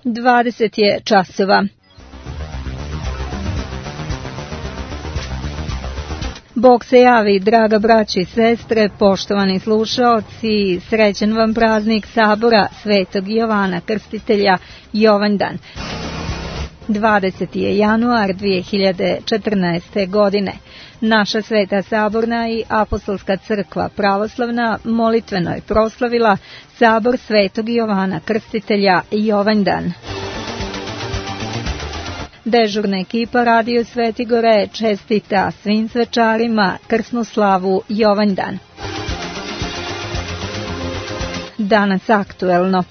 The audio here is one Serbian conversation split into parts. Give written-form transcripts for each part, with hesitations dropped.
20 je časova. Bog se javi, draga braći i sestre, poštovani slušaoci, srećan vam praznik sabora Svetog Jovana Krstitelja, Jovandan. 20. je januar 2014. godine. Naša Sveta Saborna i Apostolska crkva pravoslavna molitveno je proslavila sabor Svetog Jovana Krstitelja, Jovandan. Dežurna ekipa Radio Svetigore čestita svim svečarima krsnu slavu Jovandan. Danas aktuelno.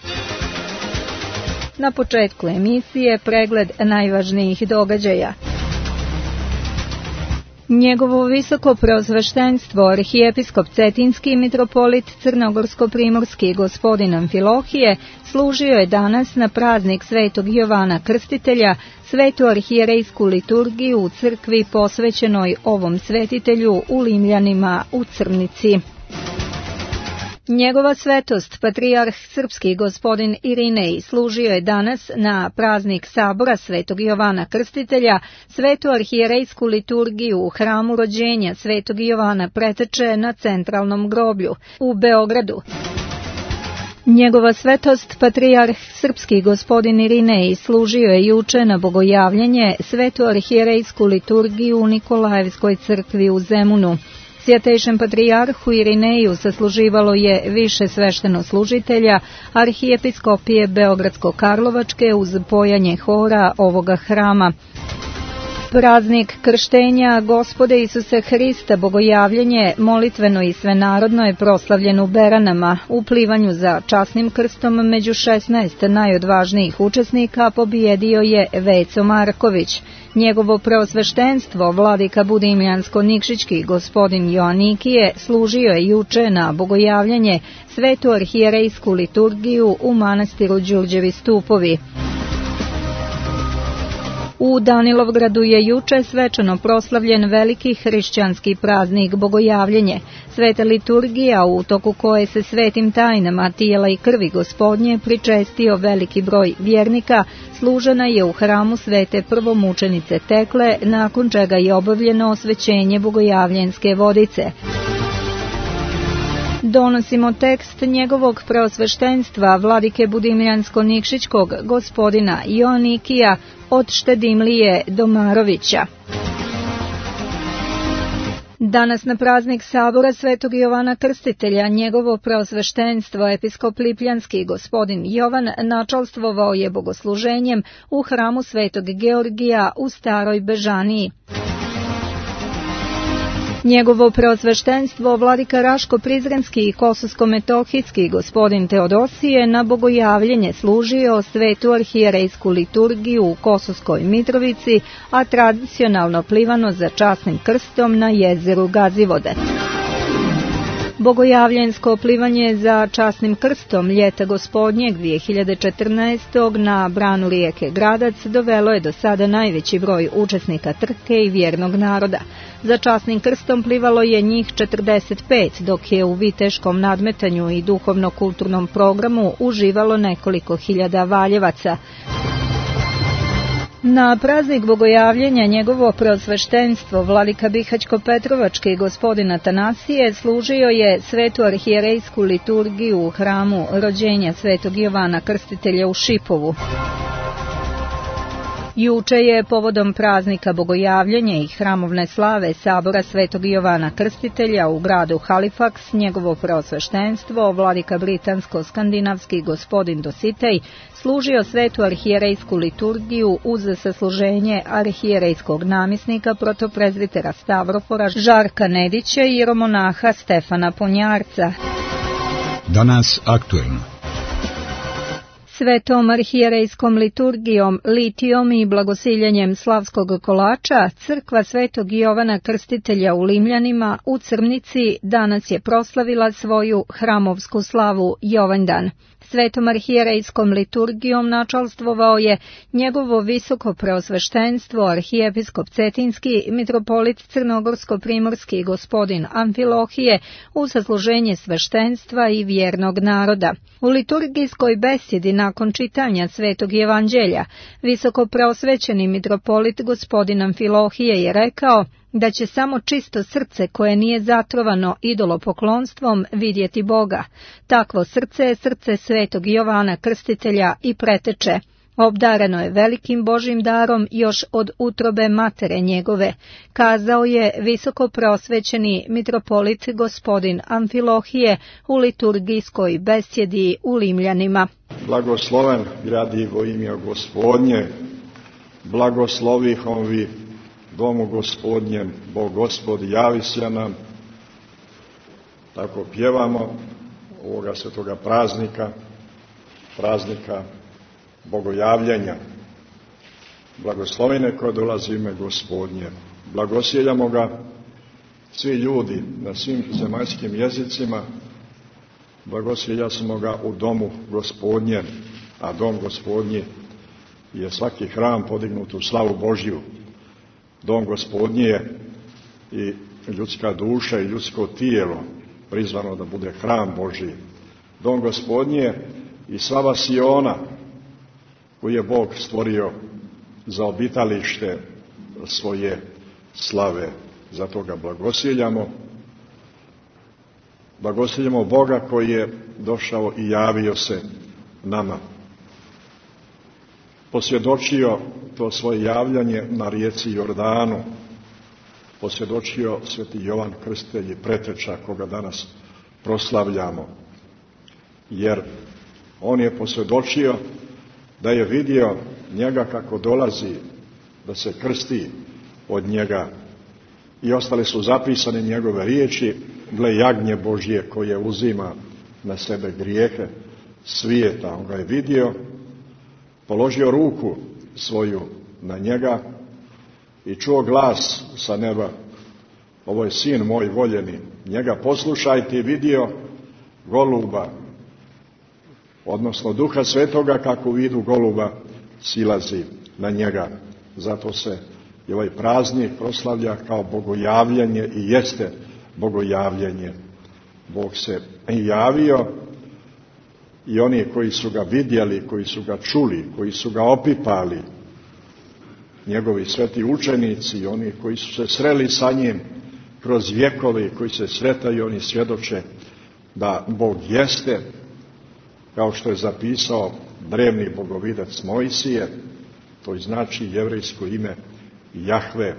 Na početku emisije pregled najvažnijih događaja. Njegovo visoko preosveštenstvo arhijepiskop Cetinski mitropolit Crnogorsko-primorski gospodin Amfilohije služio je danas na praznik Svetog Jovana Krstitelja svetu arhijerejsku liturgiju u crkvi posvećenoj ovom svetitelju u Limljanima u Crnici. Njegova svetost, patrijarh srpski gospodin Irinej, služio je danas na praznik sabora Svetog Jovana Krstitelja svetu arhijerejsku liturgiju u hramu rođenja Svetog Jovana Preteče na centralnom groblju u Beogradu. Njegova svetost, patrijarh srpski gospodin Irinej, služio je juče na bogojavljanje svetu arhijerejsku liturgiju u Nikolajevskoj crkvi u Zemunu. Svjetejšem patrijarhu Irineju sasluživalo je više sveštenoslужitelja arhijepiskopije Beogradsko-Karlovačke uz pojanje hora ovoga hrama. Praznik krštenja Gospode Isuse Hrista bogojavljenje molitveno i svenarodno je proslavljen u Beranama. U plivanju za časnim krstom među 16 najodvažnijih učesnika pobjedio je Veco Marković. Njegovo preosveštenstvo, vladika Budimljansko-Nikšićki gospodin Joanikije, služio je juče na bogojavljanje svetu arhijerejsku liturgiju u manastiru Đurđevi stupovi. U Danilovgradu je juče svečano proslavljen veliki hrišćanski praznik bogojavljenje. Sveta liturgija u toku koje se svetim tajnama tijela i krvi Gospodnje pričestio veliki broj vjernika, služena je u hramu svete prvomučenice Tekle, nakon čega je obavljeno osvećenje bogojavljenske vodice. Donosimo tekst njegovog preosveštenstva vladike Budimljansko-Nikšićkog gospodina Joanikija od Štedimlije Domarovića. Danas na praznik sabora Svetog Jovana Krstitelja njegovo preosveštenstvo episkop Lipljanski gospodin Jovan načalstvovao je bogosluženjem u hramu Svetog Georgija u Staroj Bežaniji. Njegovo preosveštenstvo vladika Raško-Prizrenski i Kosovsko-Metohijski gospodin Teodosije na bogojavljenje služio svetu arhijerejsku liturgiju u Kosovskoj Mitrovici, a tradicionalno plivano za časnim krstom na jezeru Gazivode. Bogojavljensko plivanje za časnim krstom ljeta gospodnjeg 2014. na branu rijeke Gradac dovelo je do sada najveći broj učesnika trke i vjernog naroda. Za časnim krstom plivalo je njih 45, dok je u viteškom nadmetanju i duhovno-kulturnom programu uživalo nekoliko hiljada valjevaca. Na praznik bogojavljenja njegovo preosveštenstvo vladika Bihaćko-Petrovački gospodin Atanasije služio je svetu arhijerejsku liturgiju u hramu rođenja Svetog Jovana Krstitelja u Šipovu. Juče je povodom praznika bogojavljenja i hramovne slave sabora Svetog Jovana Krstitelja u gradu Halifax njegovo preosveštenstvo vladika Britansko-skandinavski gospodin Dositej služio svetu arhijerejsku liturgiju uz sasluženje arhijerejskog namjesnika protoprezbitera Stavrofora Žarka Nedića i jeromonaha Stefana Ponjarca. Danas aktuelno. Svetom arhijerejskom liturgijom, litijom i blagosiljenjem slavskog kolača, crkva Svetog Jovana Krstitelja u Limljanima u Crnici danas je proslavila svoju hramovsku slavu Jovandan. Svetom arhijerejskom liturgijom načalstvovao je njegovo visoko preosveštenstvo arhijepiskop Cetinski, mitropolit Crnogorsko-primorski gospodin Amfilohije u zasluženje sveštenstva i vjernog naroda. U liturgijskoj besjedi nakon čitanja Svetog evanđelja, visoko preosvećeni mitropolit gospodin Amfilohije je rekao da će samo čisto srce koje nije zatrovano idolopoklonstvom vidjeti Boga. Takvo srce je srce Svetog Jovana Krstitelja i preteče. Obdareno je velikim Božjim darom još od utrobe matere njegove, kazao je visoko preosvećeni mitropolit gospodin Amfilohije u liturgijskoj besjedi u Limljanima. Blagosloven gradivo ime Gospodnje, blagoslovihom vi domu Gospodnjem, Bog Gospod javi se nam. Tako pjevamo ovoga svetoga praznika bogojavljenja. Blagoslovene koje dolazi ime Gospodnje. Blagosjeljamo ga svi ljudi na svim zemaljskim jezicima. Blagosjeljamo ga u domu Gospodnjem, a dom Gospodnji je svaki hram podignut u slavu Božju. Dom Gospodnji je i ljudska duša i ljudsko tijelo prizvano da bude hram Božji. Dom Gospodnji je i slava Siona koji je Bog stvorio za obitalište svoje slave. Zato ga blagosjeljamo. Blagosjeljamo Boga koji je došao i javio se nama. Posvjedočio to svoje javljanje na rijeci Jordanu. Posvjedočio sveti Jovan Krstitelj i preteča koga danas proslavljamo. Jer on je posvjedočio da je vidio njega kako dolazi, da se krsti od njega. I ostale su zapisane njegove riječi, gle jagnje Božje koje uzima na sebe grijehe svijeta. On ga je vidio, položio ruku svoju na njega i čuo glas sa neba, ovo je sin moj voljeni, njega poslušajte. I vidio goluba, odnosno Duha Svetoga kako u vidu goluba silazi na njega. Zato se i ovaj praznik proslavlja kao bogojavljanje i jeste bogojavljanje. Bog se javio i oni koji su ga vidjeli, koji su ga čuli, koji su ga opipali, njegovi sveti učenici, oni koji su se sreli sa njim kroz vjekove, koji se sretaju, oni svjedoče da Bog jeste, kao što je zapisao drevni bogovidac Mojsije, to znači jevrejsko ime Jahve,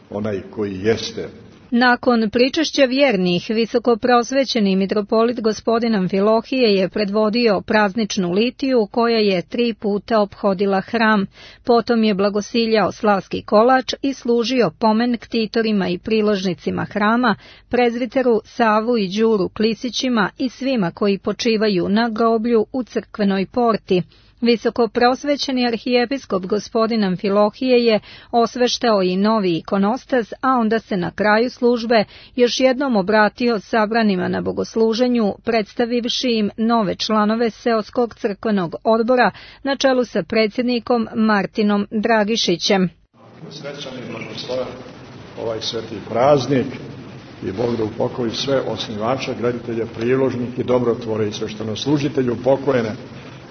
onaj koji jeste. Nakon pričešća vjernih, visoko preosvećeni mitropolit gospodin Amfilohije je predvodio prazničnu litiju koja je 3 puta ophodila hram. Potom je blagosiljao slavski kolač i služio pomen ktitorima i priložnicima hrama, prezviteru Savu i Đuru Klisićima i svima koji počivaju na groblju u crkvenoj porti. Visoko preosvećeni arhijepiskop gospodin Amfilohije je osveštao i novi ikonostas, a onda se na kraju službe još jednom obratio sabranima na bogosluženju, predstavivši im nove članove seoskog crkvenog odbora na čelu sa predsjednikom Martinom Dragišićem. Srećan i blagosloven ovaj sveti praznik i Bog da upokoji sve osnivače, graditelje, priložnike, dobrotvore i sveštenoslужitelju pokojene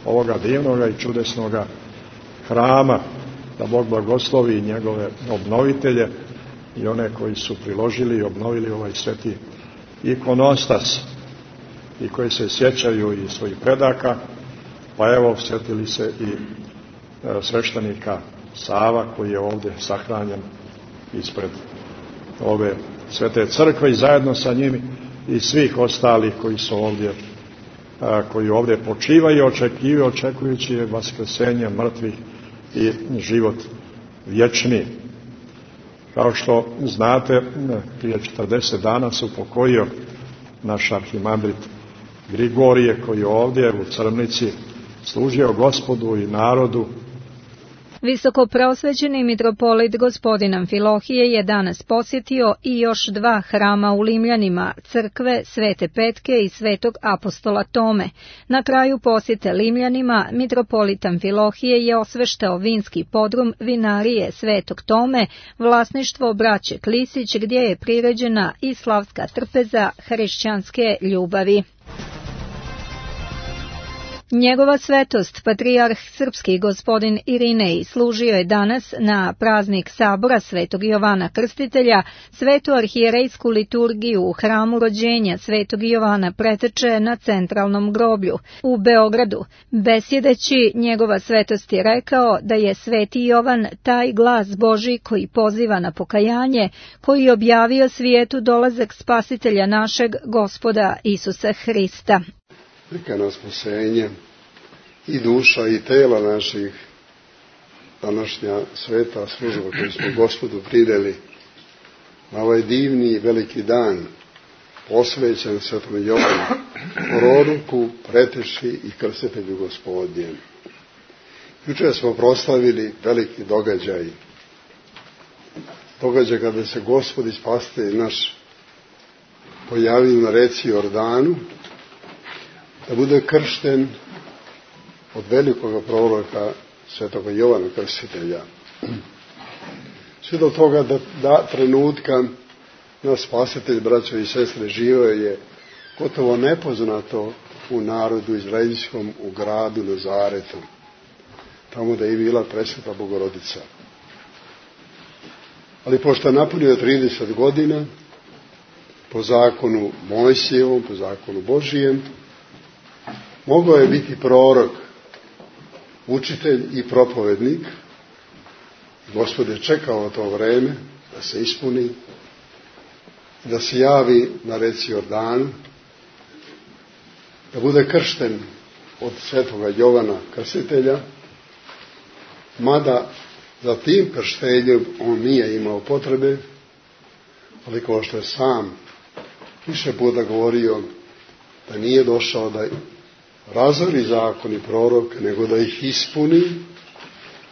ovoga divnoga i čudesnoga hrama, da Bog blagoslovi njegove obnovitelje i one koji su priložili i obnovili ovaj sveti ikonostas i koji se sjećaju i svojih predaka. Pa evo, sjetili se i sveštenika Sava koji je ovdje sahranjen ispred ove svete crkve i zajedno sa njim i svih ostalih koji su ovdje, koji ovdje počivaju, očekujući vaskrsenje mrtvih i život vječni. Kao što znate, prije 40 dana se upokojio naš arhimandrit Grigorije, koji je ovdje u Crnici služio Gospodu i narodu Visokopreosvećeni mitropolit gospodin Amfilohije je danas posjetio i još 2 hrama u Limljanima, crkve Svete Petke i Svetog apostola Tome. Na kraju posjete Limljanima, mitropolit Amfilohije je osveštao vinski podrum vinarije Svetog Tome, vlasništvo braće Klisić, gdje je priređena i slavska trpeza hrišćanske ljubavi. Njegova svetost, patrijarh srpski gospodin Irinej, služio je danas na praznik sabora Svetog Jovana Krstitelja svetu arhijerejsku liturgiju u hramu rođenja Svetog Jovana Preteče na centralnom groblju u Beogradu. Besjedeći, njegova svetost je rekao da je Sveti Jovan taj glas Božji koji poziva na pokajanje, koji objavio svijetu dolazak spasitelja našeg Gospoda Isusa Hrista. Neka nas spasenje i duša i tela naših današnja sveta služba koju smo Gospodu prideli na ovaj divni i veliki dan posvećen Svetom Jovanu, proroku, preteči i krstitelju Gospodnjem. Jučer smo proslavili veliki događaj kada se Gospod i Spasitelj naš pojavio na reci Jordanu, da bude kršten od velikog proroka Svetoga Jovana Krstitelja. Sve do toga da trenutka naš Spasitelj, braćo i sestre, živio je gotovo nepoznato u narodu izraelskom, u gradu Nazaretu, tamo da je bila presveta Bogorodica. Ali pošto je napunio 30 godina, po zakonu Mojsijevom, po zakonu Božijem, mogao je biti prorok, učitelj i propovednik. Gospod je čekao to vreme da se ispuni, da se javi na reci Jordanu, da bude kršten od Svetoga Jovana Krstitelja, mada za tim krštenjem on nije imao potrebe, ali kao što je sam više puta govorio, da nije došao da razori zakon i prorok, nego da ih ispuni,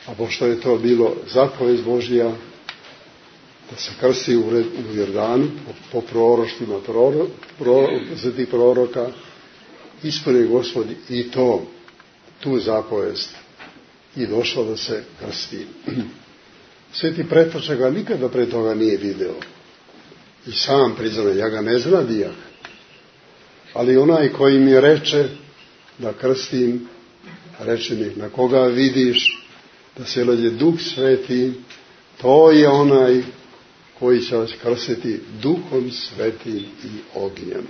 a pošto je to bilo zapovest Božja, da se krsti u Jordanu, po proroštvima tih proroka, ispuni Gospod i tu zapovest i došao da se krsti. Sveti Preteče ga nikada pre toga nije video. I sam priznao, ja ga ne znadijah. Ali onaj koji mi reče da krstim, reče mi, na koga vidiš da se leđe Duh Sveti, to je onaj koji će vas krstiti Duhom Svetim i ognjem.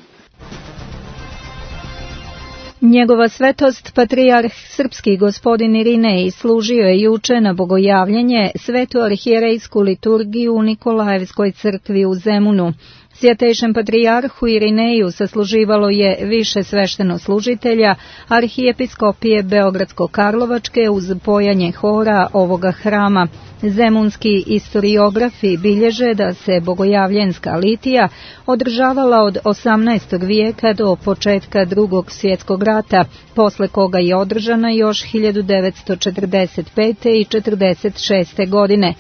Njegova svetost, patrijarh srpski gospodin Irinej, služio je juče na bogojavljanje svetu arhijerejsku liturgiju u Nikolajevskoj crkvi u Zemunu. Svjetejšem patrijarhu Irineju sasluživalo je više sveštenoslужitelja arhijepiskopije Beogradsko-Karlovačke uz pojanje hora ovoga hrama. Zemunski istoriografi bilježe da se bogojavljenska litija održavala od 18. vijeka do početka Drugog svjetskog rata, posle koga je održana još 1945. i 1946. godine.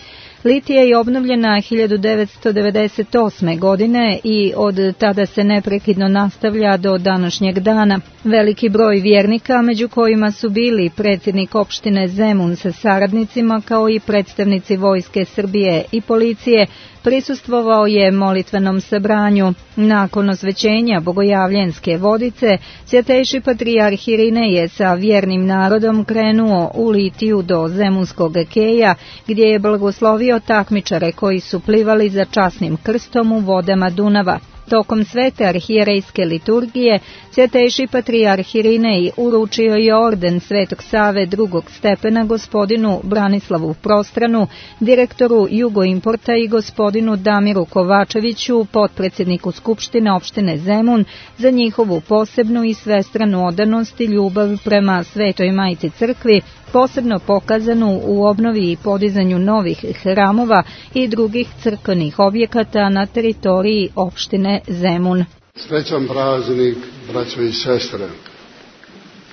Litija je obnovljena 1998. godine i od tada se neprekidno nastavlja do današnjeg dana. Veliki broj vjernika, među kojima su bili predsjednik opštine Zemun sa saradnicima, kao i predstavnici Vojske Srbije i policije, prisustvovao je molitvenom sabranju. Nakon osvećenja bogojavljenske vodice, svjetejši patrijarh Irinej je sa vjernim narodom krenuo u Litiju do Zemunskog keja, gdje je blagoslovio takmičare koji su plivali za časnim krstom u vodama Dunava. Tokom svete arhijerejske liturgije, svjetejši patrijarh Irinej uručio je orden Svetog Save drugog stepena gospodinu Branislavu Prostranu, direktoru Jugoimporta, i gospodinu Damiru Kovačeviću, potpredsjedniku Skupštine opštine Zemun, za njihovu posebnu i svestranu odanost i ljubav prema Svetoj Majci Crkvi, posebno pokazanu u obnovi i podizanju novih hramova i drugih crkvenih objekata na teritoriji opštine Zemun. Srećan praznik, braćo i sestre.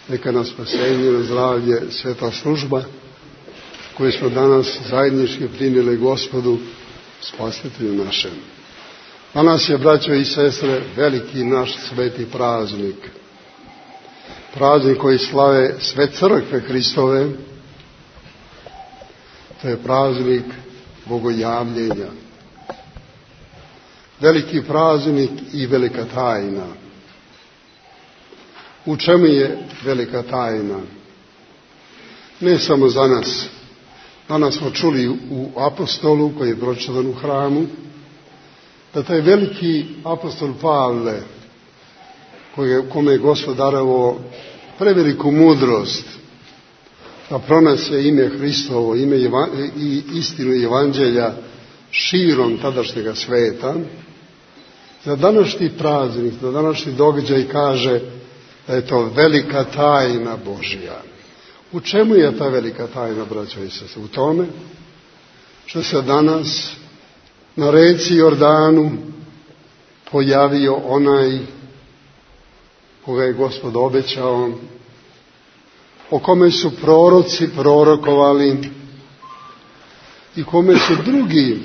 Neka nas spasenje, na zdravlje, sveta služba koje smo danas zajednički primili Gospodu, Spasitelju našem. Danas je, braćo i sestre, veliki naš sveti praznik. Praznik koji slave sve crkve Hristove. To je praznik Bogojavljenja. Veliki praznik i velika tajna. U čemu je velika tajna? Ne samo za nas. Danas smo čuli u apostolu koji je pročitan u hramu, da taj veliki apostol Pavle, kome je Gospod darovao preveliku mudrost, da pronese ime Hristovo, ime i istinu Evanđelja širom tadašnjega sveta, za današnji praznik, za današnji događaj kaže da je to velika tajna Božja. U čemu je ta velika tajna, braćo i sestre? U tome što se danas na reci Jordanu pojavio onaj koga je Gospod obećao, o kome su proroci prorokovali i kome su drugi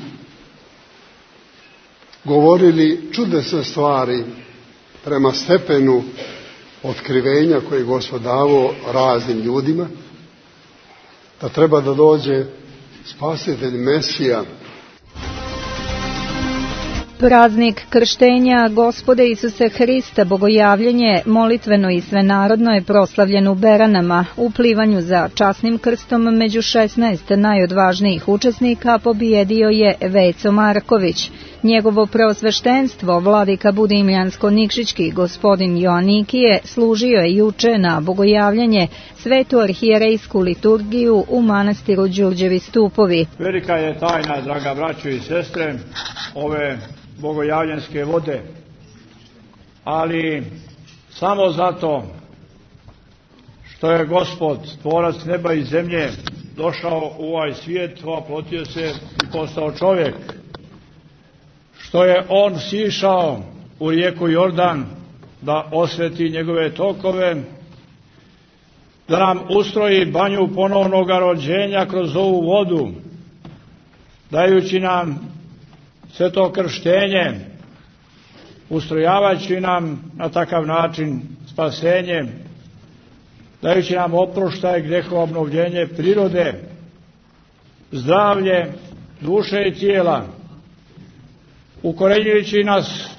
govorili čudesne stvari prema stepenu otkrivenja koje je Gospod davao raznim ljudima, da treba da dođe Spasitelj Mesija. Praznik krštenja Gospode Isuse Hrista, Bogojavljenje, molitveno i svenarodno je proslavljen u Beranama. U plivanju za časnim krstom među 16 najodvažnijih učesnika pobjedio je Veco Marković. Njegovo preosveštenstvo, vladika Budimljansko-Nikšićki gospodin Joanikije, služio je juče na Bogojavljenje svetu arhijerejsku liturgiju u manastiru Đurđevi Stupovi. Velika je tajna, draga braćo i sestre, ove bogojavljenske vode, ali samo zato što je Gospod, tvorac neba i zemlje, došao u ovaj svijet, oplotio se i postao čovjek, što je on sišao u rijeku Jordan da osveti njegove tokove, da nam ustroji banju ponovnog rođenja kroz ovu vodu, dajući nam sve to krštenje, ustrojavajući nam na takav način spasenje, dajući nam oproštaj, grehova, obnovljenje prirode, zdravlje duše i tijela, ukorenjujući nas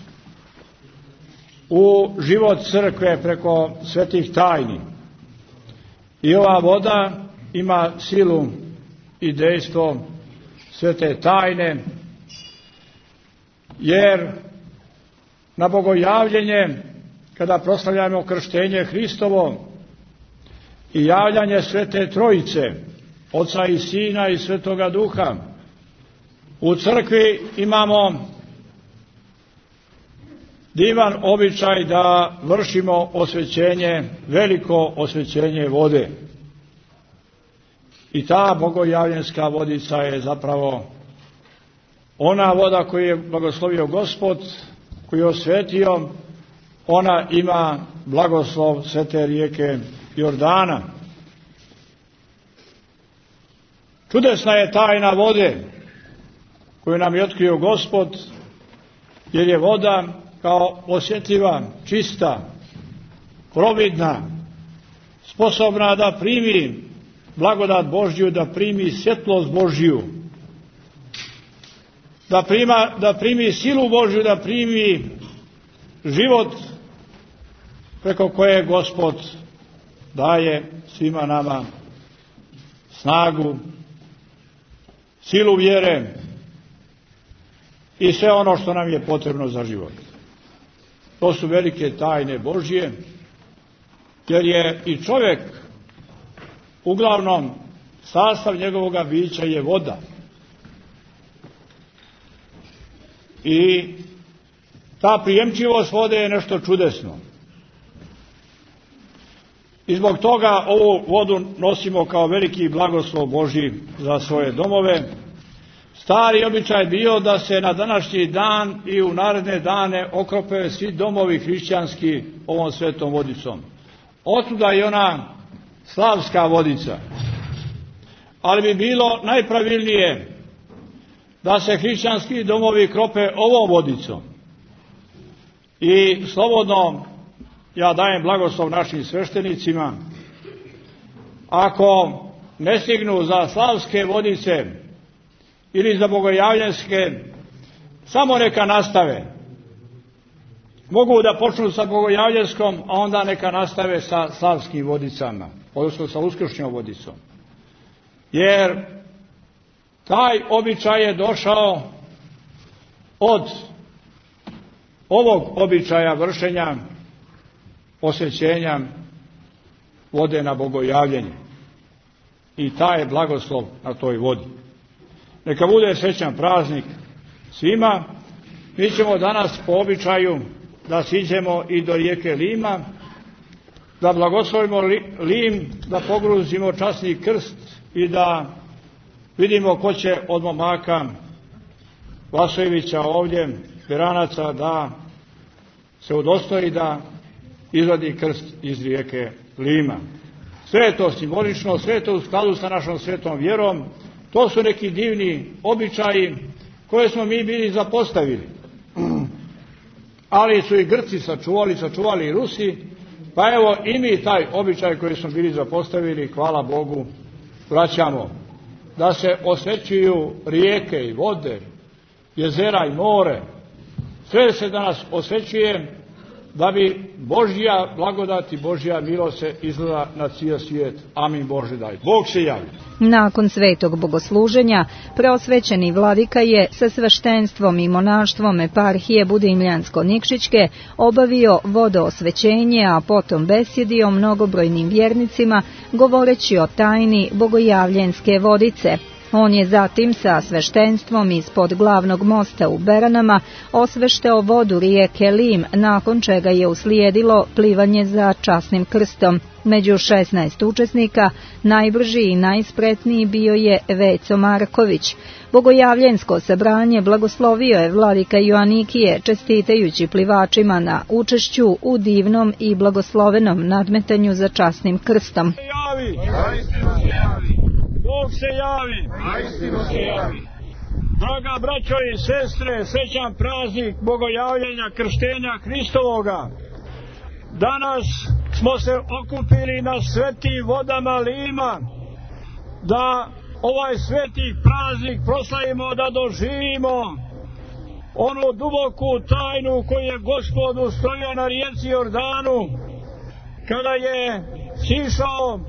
u život crkve preko svetih tajni. I ova voda ima silu i dejstvo svete tajne, jer na Bogojavljenje, kada proslavljamo krštenje Hristovo i javljanje Svete Trojice, Oca i Sina i Svetoga Duha, u crkvi imamo divan običaj da vršimo osvećenje, veliko osvećenje vode. I ta bogojavljenska vodica je zapravo ona voda koju je blagoslovio Gospod, koju je osvetio, ona ima blagoslov svete rijeke Jordana. Čudesna je tajna vode koju nam je otkrio Gospod, jer je voda kao osjetljiva, čista, providna, sposobna da primi blagodat Božju, da primi svjetlost Božju, da primi silu Božju, da primi život preko koje Gospod daje svima nama snagu, silu vjere i sve ono što nam je potrebno za život. To su velike tajne Božje, jer je i čovjek uglavnom sastav njegovoga bića je voda. I ta prijemčivost vode je nešto čudesno. I zbog toga ovu vodu nosimo kao veliki blagoslov Božji za svoje domove. Stari običaj bio da se na današnji dan i u naredne dane okrope svi domovi hrišćanski ovom svetom vodicom. Otuda je ona slavska vodica. ali bi bilo najpravilnije da se hrišćanski domovi krope ovom vodicom. I slobodno ja dajem blagoslov našim sveštenicima, ako ne stignu za slavske vodice ili za bogojavljanske, samo neka nastave. Mogu da počnu sa bogojavljanskom, a onda neka nastave sa slavskim vodicama, odnosno sa uskršnjom vodicom. Jer taj običaj je došao od ovog običaja vršenja osvećenja vode na bogojavljenje. I taj je blagoslov na toj vodi. Neka bude srećan praznik svima. Mi ćemo danas po običaju da siđemo i do rijeke Lima, da blagoslovimo Lim, da pogruzimo časni krst i da vidimo ko će od momaka Vasojevića ovdje, Beranaca, da se udostoji da izvadi krst iz rijeke Lima. Sve je to simbolično, sve je to u skladu sa našom svetom vjerom. To su neki divni običaji koje smo mi bili zapostavili. Ali su i Grci sačuvali i Rusi, pa evo i mi taj običaj koji smo bili zapostavili, hvala Bogu, vraćamo. Da se osvećuju rijeke i vode, jezera i more. Sve se danas osvećuje da bi Božja blagodat i Božja milost se izlila na cijel svijet. Amin Bože daj. Bog se javi. Nakon svetog bogosluženja, preosvećeni vladika je sa sveštenstvom i monaštvom eparhije Budimljansko-Nikšićke obavio vodoosvećenje, a potom besjedio mnogobrojnim vjernicima govoreći o tajni bogojavljenske vodice. On je zatim sa sveštenstvom ispod glavnog mosta u Beranama osveštao vodu rijeke Lim, nakon čega je uslijedilo plivanje za časnim krstom. Među 16 učesnika najbrži i najspretniji bio je Veco Marković. Bogojavljensko sabranje blagoslovio je vladika Joanikije, čestitajući plivačima na učešću u divnom i blagoslovenom nadmetanju za časnim krstom. Bog se javi. Draga braćo i sestre, srećan praznik bogojavljenja krštenja Hristovoga. Danas smo se okupili na svetim vodama Lima, da ovaj sveti praznik proslavimo, da doživimo onu duboku tajnu koju je Gospod ustrojio na rijeci Jordanu, kada je sišao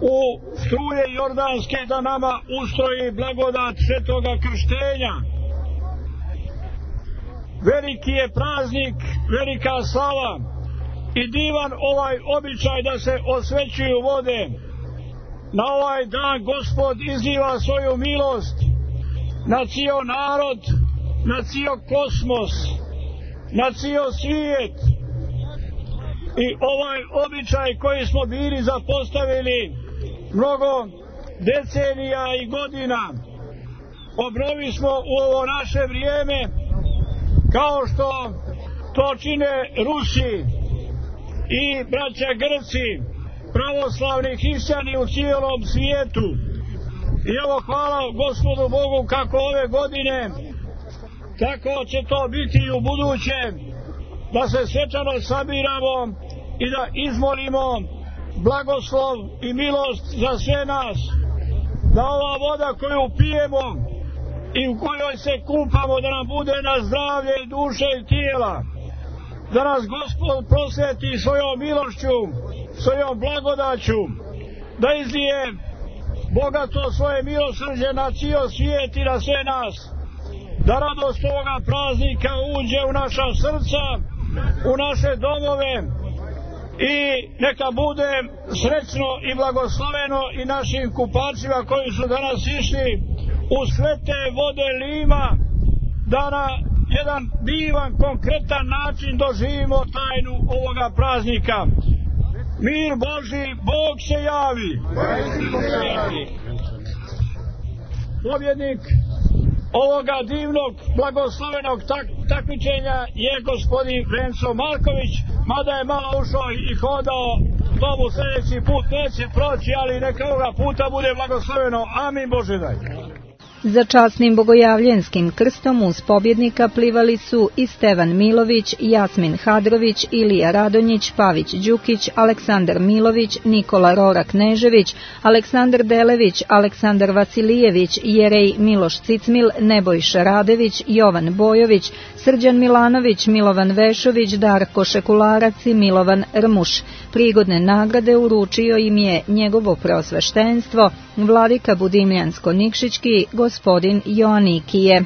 u struje jordanske da nama ustroji blagodat svetoga krštenja. Veliki je praznik, velika slava i divan ovaj običaj da se osvećuju vode. Na ovaj dan Gospod izliva svoju milost na cijel narod, na cijel kosmos, na cijel svijet. I ovaj običaj koji smo bili zapostavili mnogo decenija i godina, obnovi smo u ovo naše vrijeme, kao što to čine Rusi i braća Grci, pravoslavni hrišćani u cijelom svijetu. I evo hvala Gospodu Bogu kako ove godine, tako će to biti i u buduće, da se svečano sabiramo i da izmolimo blagoslov i milost za sve nas, da ova voda koju pijemo i u kojoj se kupamo, da nam bude na zdravlje i duše i tijela, da nas Gospod prosveti svojom milošću, svojom blagodaću, da izlije bogato svoje milosrđe na cijel svijet i na sve nas, da radost ovoga praznika uđe u naša srca, u naše domove, i neka bude srećno i blagosloveno i našim kupačima koji su danas išli u svete vode Lima, da na jedan divan, konkretan način doživimo tajnu ovoga praznika. Mir Božji, Bog se javi. Pobjednik ovoga divnog, blagoslovenog takmičenja je gospodin Venco Marković, mada je malo ušao i hodao to mu sljedeći put neće proći, ali neka ovoga puta bude blagosloveno. Amin Bože daj. Za časnim bogojavljenskim krstom uz pobjednika plivali su i Stevan Milović, Jasmin Hadrović, Ilija Radonjić, Pavić Đukić, Aleksandar Milović, Nikola Rora Knežević, Aleksandar Delević, Aleksandar Vasilijević, Jerej Miloš Cicmil, Nebojša Radević, Jovan Bojović, Srđan Milanović, Milovan Vešović, Darko Šekularac i Milovan Rmuš. Prigodne nagrade uručio im je njegovo preosveštenstvo, vladika Budimljansko-Nikšićki, gospodin Joanikije.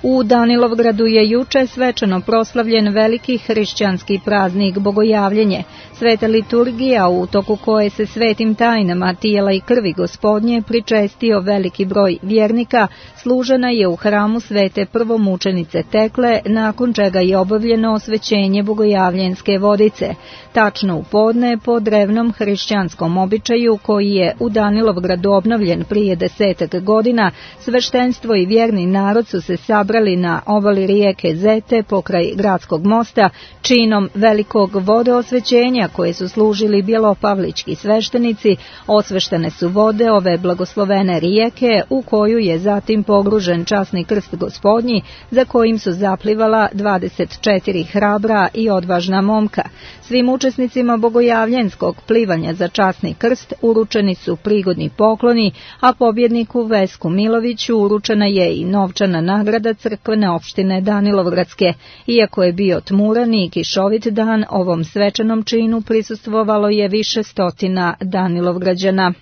U Danilovgradu je juče svečano proslavljen veliki hrišćanski praznik Bogojavljenje, sveta liturgija u toku koje se svetim tajnama tijela i krvi Gospodnje pričestio veliki broj vjernika, služena je u hramu svete prvomučenice Tekle, nakon čega je obavljeno osvećenje bogojavljenske vodice. Tačno u podne, po drevnom hrišćanskom običaju koji je u Danilovgradu obnovljen prije 10 godina, sveštenstvo i vjerni narod su se sabrali na obali rijeke Zete pokraj gradskog mosta činom velikog vodoosvećenja koje su služili bjelopavlički sveštenici. Osveštene su vode ove blagoslovene rijeke u koju je zatim pogružen časni krst Gospodnji za kojim su zaplivala 24 hrabra i odvažna momka. Svim učesnicima bogojavljenskog plivanja za časni krst uručeni su prigodni pokloni, a pobjedniku Vesku Miloviću uručena je i novčana nagrada crkvene opštine Danilovgradske. Iako je bio tmuran i kišovit dan, ovom svečanom činu prisustvovalo je više stotina Danilovgrađana.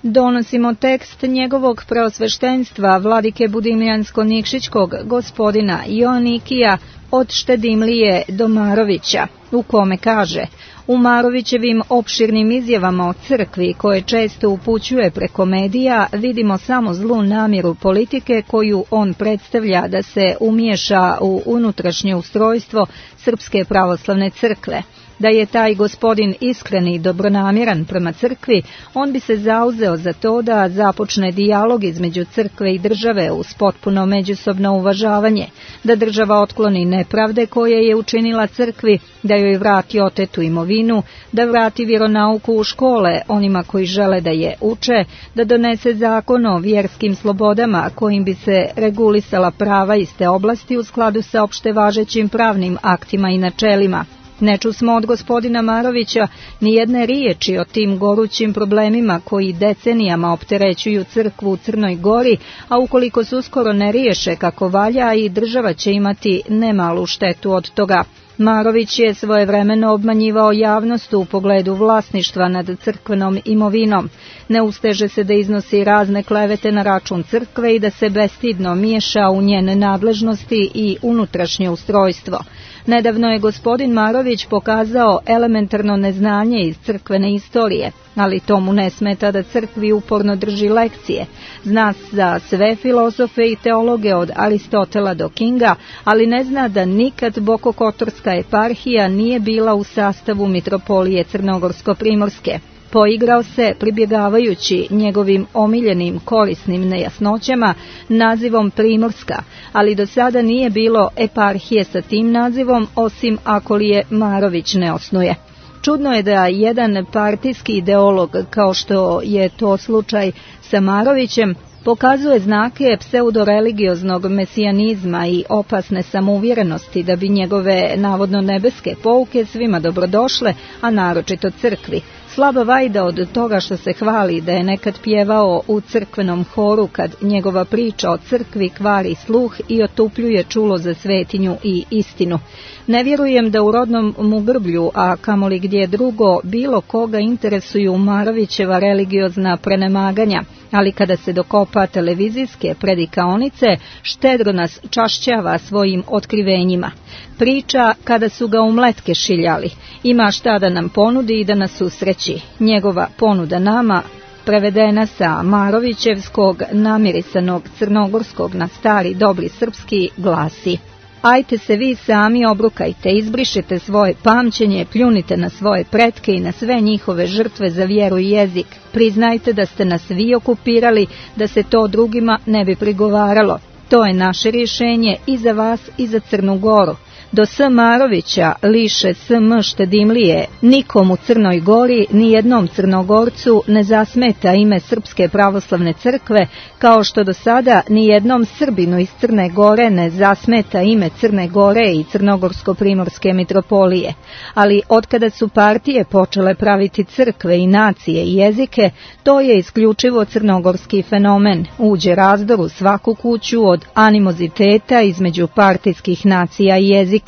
Donosimo tekst njegovog preosveštenstva vladike Budimljansko-Nikšićkog gospodina Joanikija od Štedimlije do Marovića, u kome kaže: u Marovićevim opširnim izjavama o crkvi koje često upućuje preko medija vidimo samo zlu namjeru politike koju on predstavlja da se umiješa u unutrašnje ustrojstvo Srpske pravoslavne crkve. Da je taj gospodin iskren i dobronamjeran prema crkvi, on bi se zauzeo za to da započne dijalog između crkve i države uz potpuno međusobno uvažavanje, da država otkloni nepravde koje je učinila crkvi, da joj vrati otetu imovinu, da vrati vjeronauku u škole onima koji žele da je uče, da donese zakon o vjerskim slobodama kojim bi se regulisala prava iz te oblasti u skladu sa opšte važećim pravnim aktima i načelima. Ne čusmo od gospodina Marovića ni jedne riječi o tim gorućim problemima koji decenijama opterećuju crkvu u Crnoj Gori, a ukoliko se uskoro ne riješe kako valja, i država će imati nemalu štetu od toga. Marović je svojevremeno obmanjivao javnost u pogledu vlasništva nad crkvenom imovinom. Ne usteže se da iznosi razne klevete na račun crkve i da se bestidno miješa u njene nadležnosti i unutrašnje ustrojstvo. Nedavno je gospodin Marović pokazao elementarno neznanje iz crkvene istorije, ali tomu ne smeta da crkvi uporno drži lekcije. Zna za sve filozofe i teologe od Aristotela do Kinga, ali ne zna da nikad Bokokotorska eparhija nije bila u sastavu mitropolije Crnogorsko-Primorske. Poigrao se, pribjegavajući njegovim omiljenim korisnim nejasnoćama, nazivom Primorska, ali do sada nije bilo eparhije sa tim nazivom, osim ako li je Marović ne osnuje. Čudno je da jedan partijski ideolog, kao što je to slučaj sa Marovićem, pokazuje znake pseudoreligioznog mesijanizma i opasne samouvjerenosti da bi njegove navodno nebeske pouke svima dobrodošle, a naročito crkvi. Slaba vajda od toga što se hvali da je nekad pjevao u crkvenom horu kad njegova priča o crkvi kvari sluh i otupljuje čulo za svetinju i istinu. Ne vjerujem da u rodnom mu grblju, a kamoli gdje drugo, bilo koga interesuju Marovićeva religiozna prenemaganja, ali kada se dokopa televizijske predikaonice, štedro nas čašćava svojim otkrivenjima. Priča kada su ga u mletke šiljali, ima šta da nam ponudi i da nas usreći. Njegova ponuda nama, prevedena sa Marovićevskog namirisanog crnogorskog na stari dobri srpski, glasi: ajte se vi sami obrukajte, izbrišite svoje pamćenje, pljunite na svoje pretke i na sve njihove žrtve za vjeru i jezik. Priznajte da ste nas vi okupirali, da se to drugima ne bi prigovaralo. To je naše rješenje i za vas i za Crnu Goru. Do S. Marovića liše S.M. Štedimlije, nikom u Crnoj Gori, ni jednom Crnogorcu ne zasmeta ime Srpske pravoslavne crkve, kao što do sada ni jednom Srbinu iz Crne Gore ne zasmeta ime Crne Gore i Crnogorsko-primorske mitropolije. Ali otkada su partije počele praviti crkve i nacije i jezike, to je isključivo crnogorski fenomen. Uđe razdor u svaku kuću od animoziteta između partijskih nacija i jezika.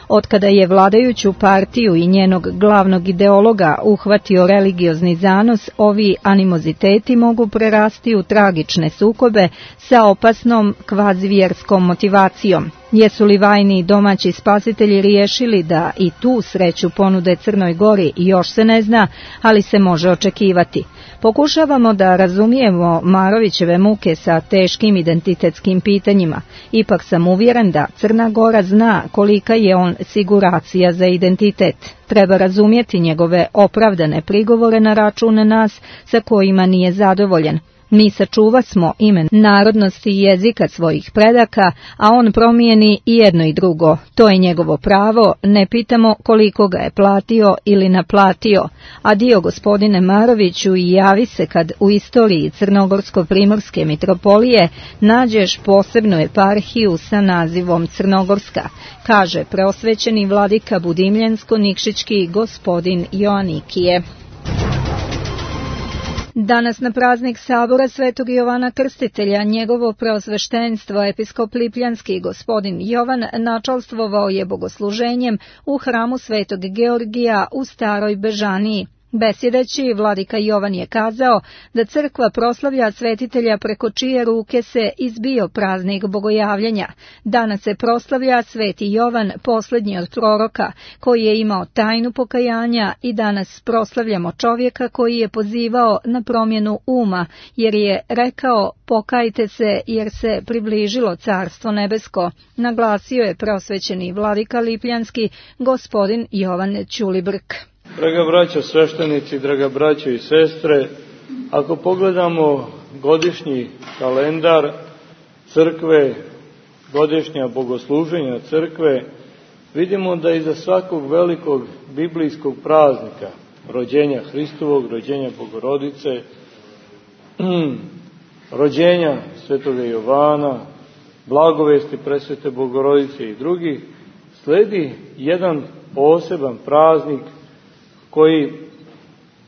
Otkada je vladajuću partiju i njenog glavnog ideologa uhvatio religiozni zanos, ovi animoziteti mogu prerasti u tragične sukobe sa opasnom kvazivjerskom motivacijom. Jesu li vajni domaći spasitelji riješili da i tu sreću ponude Crnoj Gori, još se ne zna, ali se može očekivati. Pokušavamo da razumijemo Marovićeve muke sa teškim identitetskim pitanjima. Ipak sam uvjeren da Crna Gora zna kolika je on siguracija za identitet. Treba razumjeti njegove opravdane prigovore na račun nas sa kojima nije zadovoljen. Mi sačuvasmo ime narodnosti i jezika svojih predaka, a on promijeni i jedno i drugo. To je njegovo pravo, ne pitamo koliko ga je platio ili naplatio. Adio gospodine Maroviću i javi se kad u istoriji Crnogorsko-primorske mitropolije nađeš posebnu eparhiju sa nazivom Crnogorska, kaže preosvećeni vladika Budimljensko-Nikšićki gospodin Joanikije. Danas na praznik sabora Svetog Jovana Krstitelja njegovo preosveštenstvo episkop Lipljanski gospodin Jovan načalstvovao je bogosluženjem u hramu Svetog Georgija u Staroj Bežaniji. Besjedeći, vladika Jovan je kazao da crkva proslavlja svetitelja preko čije ruke se izbio praznik bogojavljenja. Danas se proslavlja Sveti Jovan, posljednji od proroka, koji je imao tajnu pokajanja, i danas proslavljamo čovjeka koji je pozivao na promjenu uma, jer je rekao pokajte se jer se približilo Carstvo nebesko, naglasio je preosvećeni vladika Lipljanski gospodin Jovan Ćulibrk. Draga braćo sveštenici, draga braćo i sestre, ako pogledamo godišnji kalendar crkve, godišnja bogosluženja crkve, vidimo da iza svakog velikog biblijskog praznika, rođenja Hristovog, rođenja Bogorodice, rođenja Svetoga Jovana, blagovesti presvete Bogorodice i drugih, sledi jedan poseban praznik koji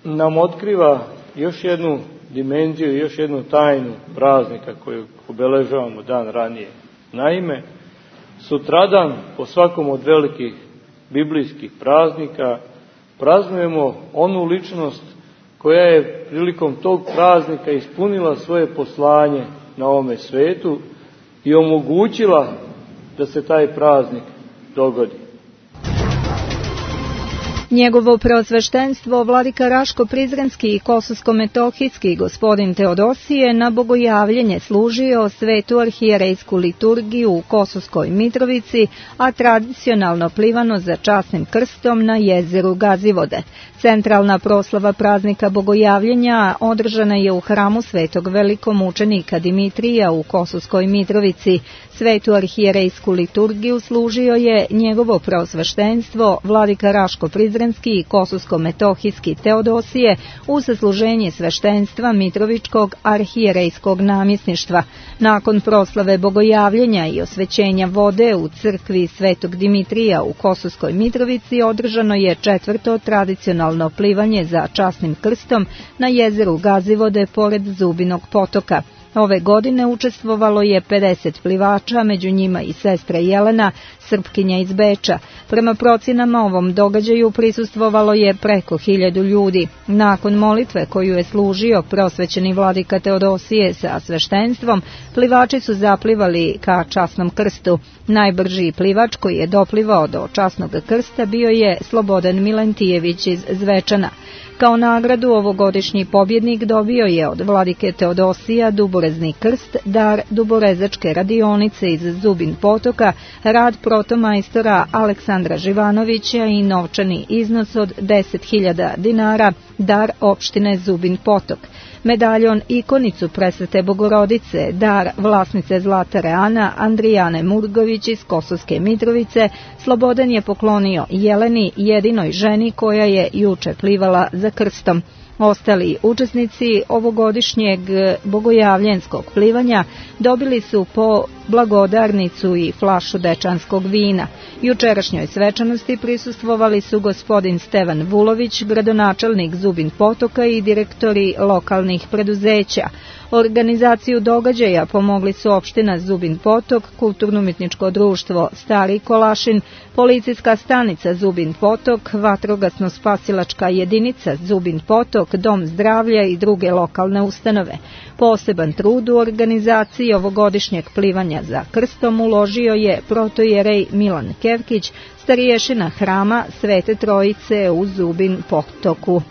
nam otkriva još jednu dimenziju, još jednu tajnu praznika koju obeležavamo dan ranije. Naime, sutradan, po svakom od velikih biblijskih praznika, praznujemo onu ličnost koja je prilikom tog praznika ispunila svoje poslanje na ovome svetu i omogućila da se taj praznik dogodi. Njegovo preosveštenstvo vladika Raško-Prizrenski i Kosovsko-Metohijski gospodin Teodosije na bogojavljenje služio svetu arhijerejsku liturgiju u Kosovskoj Mitrovici, a tradicionalno plivano za časnim krstom na jezeru Gazivode. Centralna proslava praznika bogojavljenja održana je u hramu svetog velikomučenika Dimitrija u Kosovskoj Mitrovici. Svetu arhijerejsku liturgiju služio je njegovo preosveštenstvo vladika Raško-Prizrenski i Kosovsko-Metohijski Teodosije uz služenje sveštenstva Mitrovičkog arhijerejskog namjesništva. Nakon proslave bogojavljenja i osvećenja vode u crkvi svetog Dimitrija u Kosovskoj Mitrovici održano je četvrto tradicionalno plivanje za časnim krstom na jezeru Gazivode pored Zubinog potoka. Ove godine učestvovalo je 50 plivača, među njima i sestra Jelena, Srpkinja iz Beča. Prema procjenama ovom događaju prisustvovalo je preko 1000 ljudi. Nakon molitve koju je služio preosvećeni vladika Teodosije sa sveštenstvom, plivači su zaplivali ka časnom krstu. Najbrži plivač koji je doplivao do časnog krsta bio je Slobodan Milentijević iz Zvečana. Kao nagradu ovogodišnji pobjednik dobio je od vladike Teodosija duborezni krst, dar duborezačke radionice iz Zubin potoka, rad protomajstora Aleksandra Živanovića i novčani iznos od 10.000 dinara, dar opštine Zubin potok. medaljon ikonicu Presvete Bogorodice, dar vlasnice Zlatare Ana, Andrijane Murgović iz Kosovske Mitrovice, Slobodan je poklonio Jeleni, jedinoj ženi koja je juče plivala za krstom. Ostali učesnici ovogodišnjeg bogojavljenskog plivanja dobili su po blagodarnicu i flašu dečanskog vina. Jučerašnjoj svečanosti prisustvovali su gospodin Stevan Vulović, gradonačelnik Zubin Potoka i direktori lokalnih preduzeća. Organizaciju događaja pomogli su opština Zubin Potok, Kulturno-umjetničko društvo Stari Kolašin, policijska stanica Zubin Potok, vatrogasno-spasilačka jedinica Zubin Potok, Dom zdravlja i druge lokalne ustanove. Poseban trud u organizaciji ovogodišnjeg plivanja za krstom uložio je protojerej Milan Kevkić, stariješina hrama Svete Trojice u Zubin Potoku.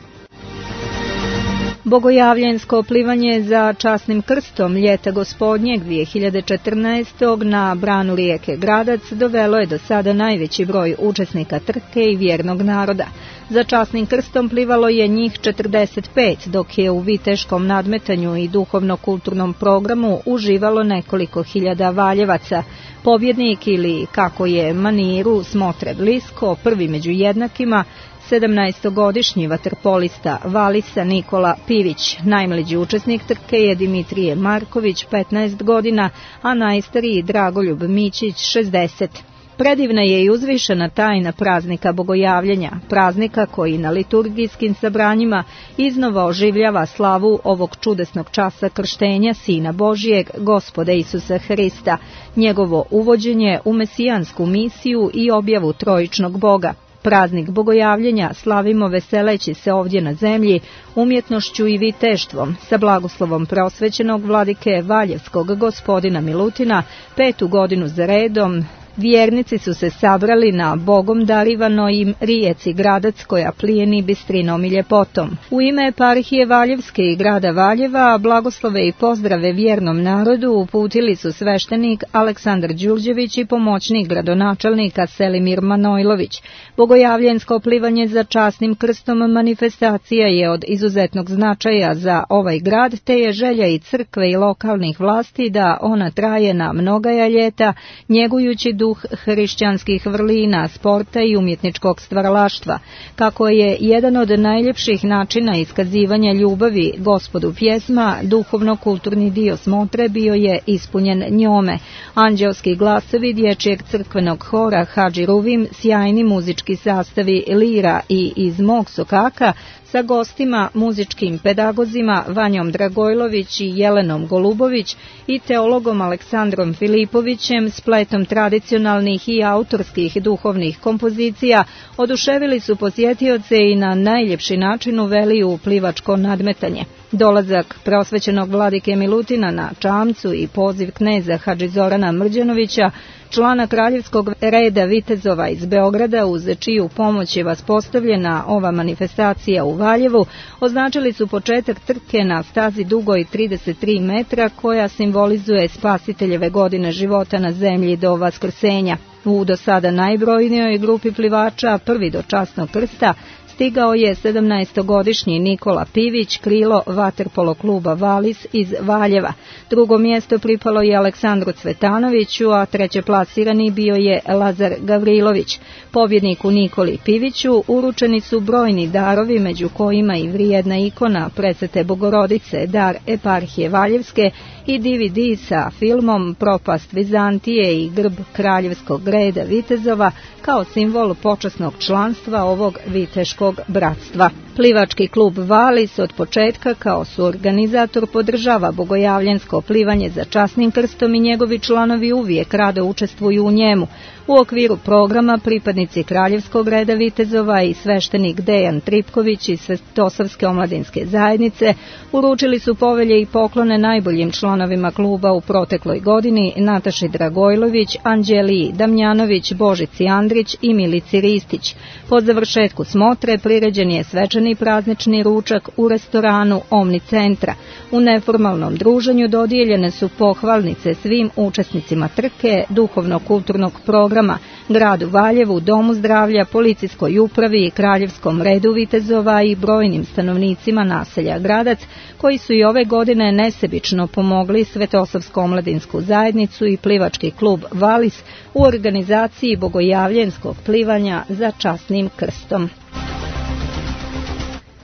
Bogojavljensko plivanje za časnim krstom ljeta gospodnjeg 2014. na branu rijeke Gradac dovelo je do sada najveći broj učesnika trke i vjernog naroda. Za časnim krstom plivalo je njih 45, dok je u viteškom nadmetanju i duhovno-kulturnom programu uživalo nekoliko hiljada valjevaca. Pobjednik ili, kako je maniru smotre blisko, prvi među jednakima, 17-godišnji vaterpolista Valisa Nikola Pivić. Najmlađi učesnik trke je Dimitrije Marković, 15 godina, a najstariji Dragoljub Mićić, 60. Predivna je i uzvišena tajna praznika Bogojavljenja, praznika koji na liturgijskim sabranjima iznova oživljava slavu ovog čudesnog časa krštenja Sina Božijeg, Gospoda Isusa Hrista, njegovo uvođenje u mesijansku misiju i objavu trojičnog Boga. Praznik Bogojavljenja slavimo veseleći se ovdje na zemlji, umjetnošću i viteštvom, sa blagoslovom prosvećenog vladike Valjevskog gospodina Milutina, 5. godinu za redom. Vjernici su se sabrali na Bogom darivanoj rijeci Gradac koja plijeni bistrinom i ljepotom. U ime eparhije Valjevske i grada Valjeva blagoslove i pozdrave vjernom narodu uputili su sveštenik Aleksandar Đurđević i pomoćnik gradonačelnika Selimir Manojlović. Bogojavljensko plivanje za časnim krstom manifestacija je od izuzetnog značaja za ovaj grad, te je želja i crkve i lokalnih vlasti da ona traje na mnogaja ljeta, njegujući duh hrišćanskih vrlina, sporta i umjetničkog stvaralaštva. Kako je jedan od najljepših načina iskazivanja ljubavi Gospodu pjesma, duhovno-kulturni dio smotre bio je ispunjen njome. Anđelski glasovi dječjeg crkvenog hora Hadži Ruvim, sjajni muzički sastavi lira i iz mog sokaka, sa gostima, muzičkim pedagozima Vanjom Dragojlović i Jelenom Golubović i teologom Aleksandrom Filipovićem, spletom tradicionalnih i autorskih duhovnih kompozicija, oduševili su posjetioce i na najljepši način uveli u plivačko nadmetanje. Dolazak prosvećenog vladike Milutina na čamcu i poziv kneza Hadži Zorana Mrđanovića, člana kraljevskog reda vitezova iz Beograda, uz čiju pomoć je vaspostavljena ova manifestacija u Valjevu, označili su početak trke na stazi dugoj 33 metra koja simbolizuje spasiteljeve godine života na zemlji do vaskrsenja. U do sada najbrojnijoj grupi plivača, prvi do časnog krsta, stigao je 17-godišnji Nikola Pivić, krilo vaterpolo kluba Valis iz Valjeva. Drugo mjesto pripalo je Aleksandru Cvetanoviću, a treće plasirani bio je Lazar Gavrilović. Pobjedniku Nikoli Piviću uručeni su brojni darovi, među kojima i vrijedna ikona Presvete Bogorodice, dar eparhije Valjevske i DVD sa filmom Propast Vizantije i grb kraljevskog reda vitezova kao simbol počasnog članstva ovog viteškog bratstva. Plivački klub Valis od početka kao suorganizator podržava bogojavljensko plivanje za časnim krstom i njegovi članovi uvijek rado učestvuju u njemu. U okviru programa pripadnici Kraljevskog reda vitezova i sveštenik Dejan Tripković iz Svetosavske omladinske zajednice uručili su povelje i poklone najboljim članovima kluba u protekloj godini: Nataši Dragojlović, Anđeliji Damjanović, Božici Andrić i Milici Ristić. Po završetku smotre priređen je svečani organizovani praznični ručak u restoranu Omni centra. U neformalnom druženju dodijeljene su pohvalnice svim učesnicima trke, duhovno-kulturnog programa, gradu Valjevu, Domu zdravlja, policijskoj upravi, Kraljevskom redu vitezova i brojnim stanovnicima naselja Gradac, koji su i ove godine nesebično pomogli Svetosavsko-omladinsku zajednicu i plivački klub Valis u organizaciji bogojavljenskog plivanja za časnim krstom.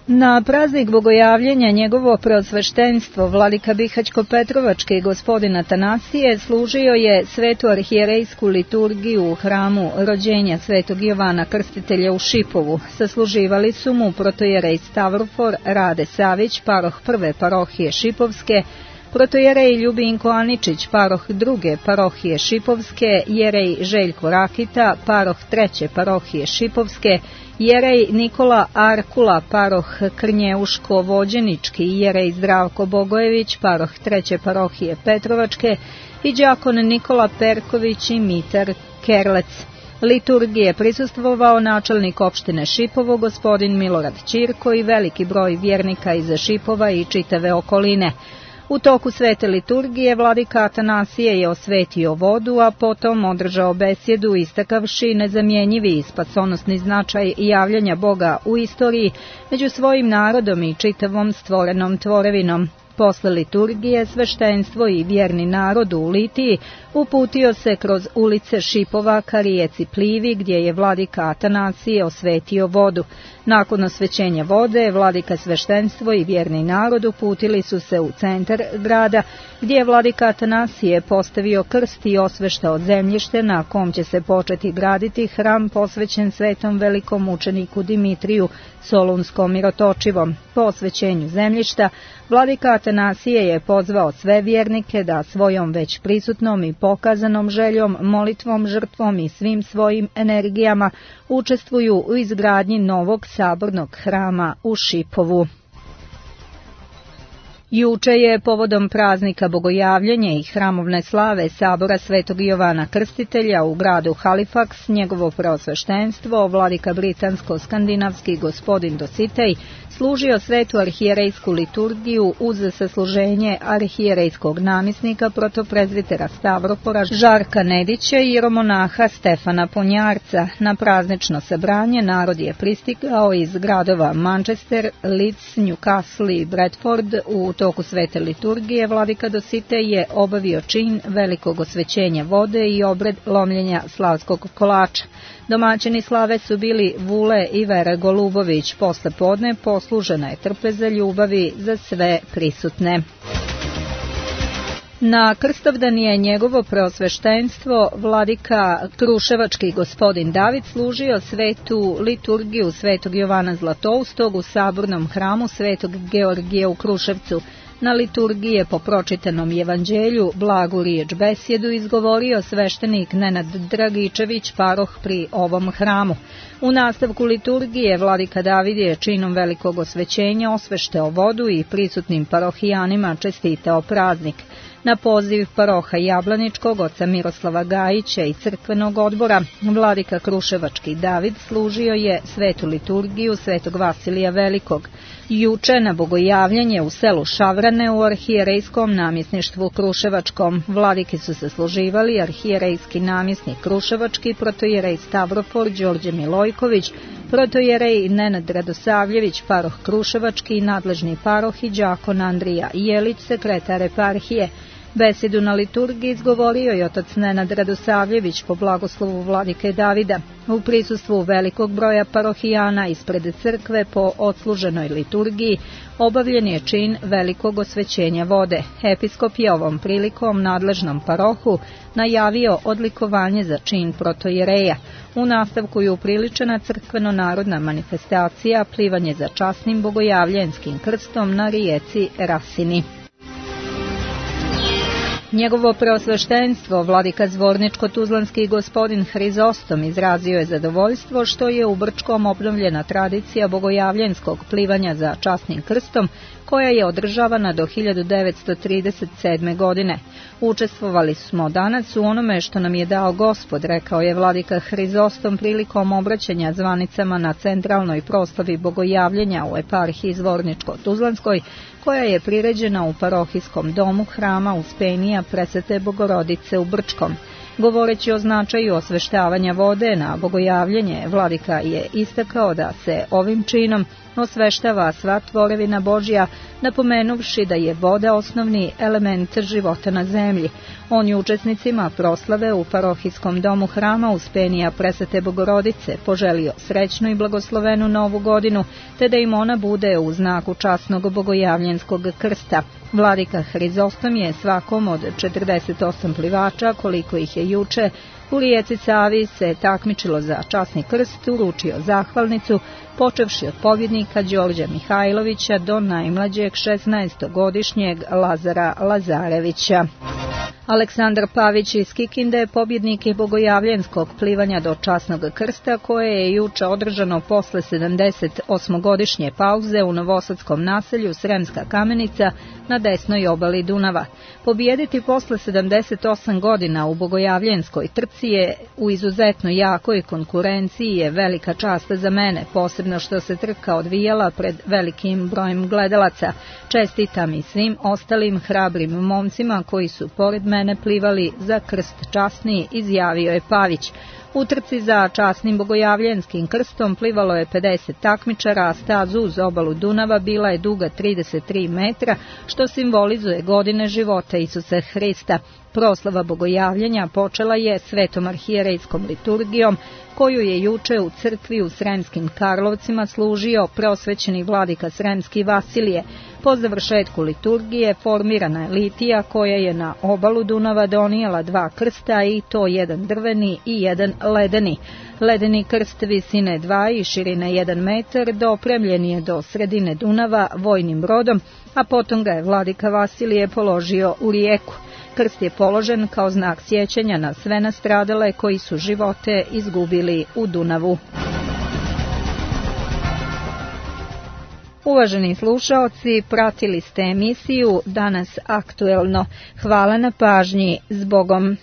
Na praznik bogojavljenja njegovo preosveštenstvo vladika Bihaćko-Petrovački gospodin Atanasije služio je svetu arhijerejsku liturgiju u hramu rođenja svetog Jovana Krstitelja u Šipovu. Sasluživali su mu protojerej Stavrofor Rade Savić, paroh prve parohije Šipovske, protojerej Ljubinko Aničić, paroh druge parohije Šipovske, jerej Željko Rakita, paroh treće parohije Šipovske, jerej Nikola Arkula, paroh Krnjeuško-Vođenički, jerej Zdravko Bogojević, paroh treće parohije Petrovačke i đakon Nikola Perković i Mitar Kerlec. Liturgije prisustvovao načelnik opštine Šipovo, gospodin Milorad Ćirko i veliki broj vjernika iz Šipova i čitave okoline. U toku svete liturgije vladika Atanasije je osvetio vodu, a potom održao besjedu istakavši nezamjenjivi spasonosni značaj javljanja Boga u istoriji među svojim narodom i čitavom stvorenom tvorevinom. Posle liturgije sveštenstvo i vjerni narod u Litiji uputio se kroz ulice Šipova ka rijeci Plivi, gdje je vladika Atanasije osvetio vodu. Nakon osvećenja vode, vladika sveštenstvo i vjerni narod uputili su se u centar grada, gdje je vladika Atanasije postavio krst i osveštao zemljište na kom će se početi graditi hram posvećen svetom velikom mučeniku Dimitriju Solunskom Mirotočivom. Po osvećenju zemljišta, vladika Atanasije je pozvao sve vjernike da svojom već prisutnom i pokazanom željom, molitvom, žrtvom i svim svojim energijama učestvuju u izgradnji novog sabornog hrama u Šipovu. Juče je povodom praznika bogojavljenja i hramovne slave sabora svetog Jovana Krstitelja u gradu Halifax njegovo preosveštenstvo, vladika britansko-skandinavski gospodin Dositej, služio svetu arhijerejsku liturgiju uz sasluženje arhijerejskog namjesnika protoprezvitera Stavropora Žarka Nedića i jeromonaha Stefana Ponjarca. Na praznično sabranje narod je pristigao iz gradova Manchester, Leeds, Newcastle i Bradford. U toku svete liturgije vladika Dositej je obavio čin velikog osvećenja vode i obred lomljenja slavskog kolača. Domaćini slave su bili Vule i Vera Golubović. Posle podne poslužena je trpeza ljubavi za sve prisutne. Na Krstovdan je njegovo preosveštenstvo vladika Kruševački gospodin David služio svetu liturgiju svetog Jovana Zlatoustog u sabornom hramu svetog Georgija u Kruševcu. Na liturgiji je po pročitanom evanđelju blagu riječ besjedu izgovorio sveštenik Nenad Dragičević, paroh pri ovom hramu. U nastavku liturgije vladika David je činom velikog osvećenja osveštao vodu i prisutnim parohijanima čestitao praznik. Na poziv paroha Jablaničkog, oca Miroslava Gajića i crkvenog odbora, vladika Kruševački David služio je svetu liturgiju svetog Vasilija Velikog. Juče na bogojavljanje u selu Šavrane u arhijerejskom namjesništvu Kruševačkom vladike su se služivali arhijerejski namjesnik Kruševački, protojerej Stavrofor Đorđe Milojković, protojerej Nenad Radosavljević, paroh Kruševački, nadležni paroh i đakon Andrija Jelić, sekretar eparhije. Besjedu na liturgiji izgovorio je otac Nenad Radosavljević po blagoslovu vladike Davida. U prisustvu velikog broja parohijana ispred crkve po odsluženoj liturgiji obavljen je čin velikog osvećenja vode. Episkop je ovom prilikom nadležnom parohu najavio odlikovanje za čin protojereja. U nastavku je upriličena crkveno-narodna manifestacija plivanje za časnim bogojavljenskim krstom na rijeci Rasini. Njegovo preosveštenstvo, vladika Zvorničko-Tuzlanski gospodin Hrizostom, izrazio je zadovoljstvo što je u Brčkom obnovljena tradicija bogojavljenskog plivanja za časnim krstom, koja je održavana do 1937. godine. Učestvovali smo danas u onome što nam je dao Gospod, rekao je vladika Hrizostom prilikom obraćanja zvanicama na centralnoj proslavi bogojavljenja u eparhiji Zvorničko-Tuzlanskoj, koja je priređena u parohijskom domu hrama Uspenija Presvete Bogorodice u Brčkom. Govoreći o značaju osveštavanja vode na bogojavljenje, vladika je istakao da se ovim činom osveštava sva tvorevina Božja, napomenuvši da je voda osnovni element života na zemlji. On je učesnicima proslave u parohijskom domu hrama Uspenija Presvete Bogorodice poželio srećnu i blagoslovenu novu godinu, te da im ona bude u znaku časnog bogojavljenskog krsta. Vladika Hrizostom je svakom od 48 plivača, koliko ih je juče u rijeci Savi se takmičilo za časni krst, uručio zahvalnicu, počevši od pobjednika Đorđa Mihajlovića do najmlađeg 16-godišnjeg Lazara Lazarevića. Aleksandar Pavić iz Kikinde pobjednik je bogojavljenskog plivanja do časnog krsta, koje je juče održano posle 78-godišnje pauze u novosadskom naselju Sremska Kamenica na desnoj obali Dunava. Pobijediti posle 78 godina u bogojavljenskoj trci je u izuzetno jakoj konkurenciji je velika čast za mene, posebno što se trka odvijala pred velikim brojem gledalaca. Čestitam i svim ostalim hrabrim momcima koji su pored mene plivali za krst časni, izjavio je Pavić. U trci za časnim bogojavljenskim krstom plivalo je 50 takmičara, a staza uz obalu Dunava bila je duga 33 metra, što simbolizuje godine života Isusa Hrista. Proslava bogojavljenja počela je svetom arhijerejskom liturgijom, koju je juče u crkvi u Sremskim Karlovcima služio preosvećeni vladika Sremski Vasilije. Po završetku liturgije formirana je litija koja je na obalu Dunava donijela 2 krsta, i to jedan drveni i jedan ledeni. Ledeni krst visine 2 i širine 1 metar dopremljen je do sredine Dunava vojnim brodom, a potom ga je vladika Vasilije položio u rijeku. Krst je položen kao znak sjećanja na sve nastradale koji su živote izgubili u Dunavu. Uvaženi slušaoci, pratili ste emisiju Danas aktuelno. Hvala na pažnji. Zbogom.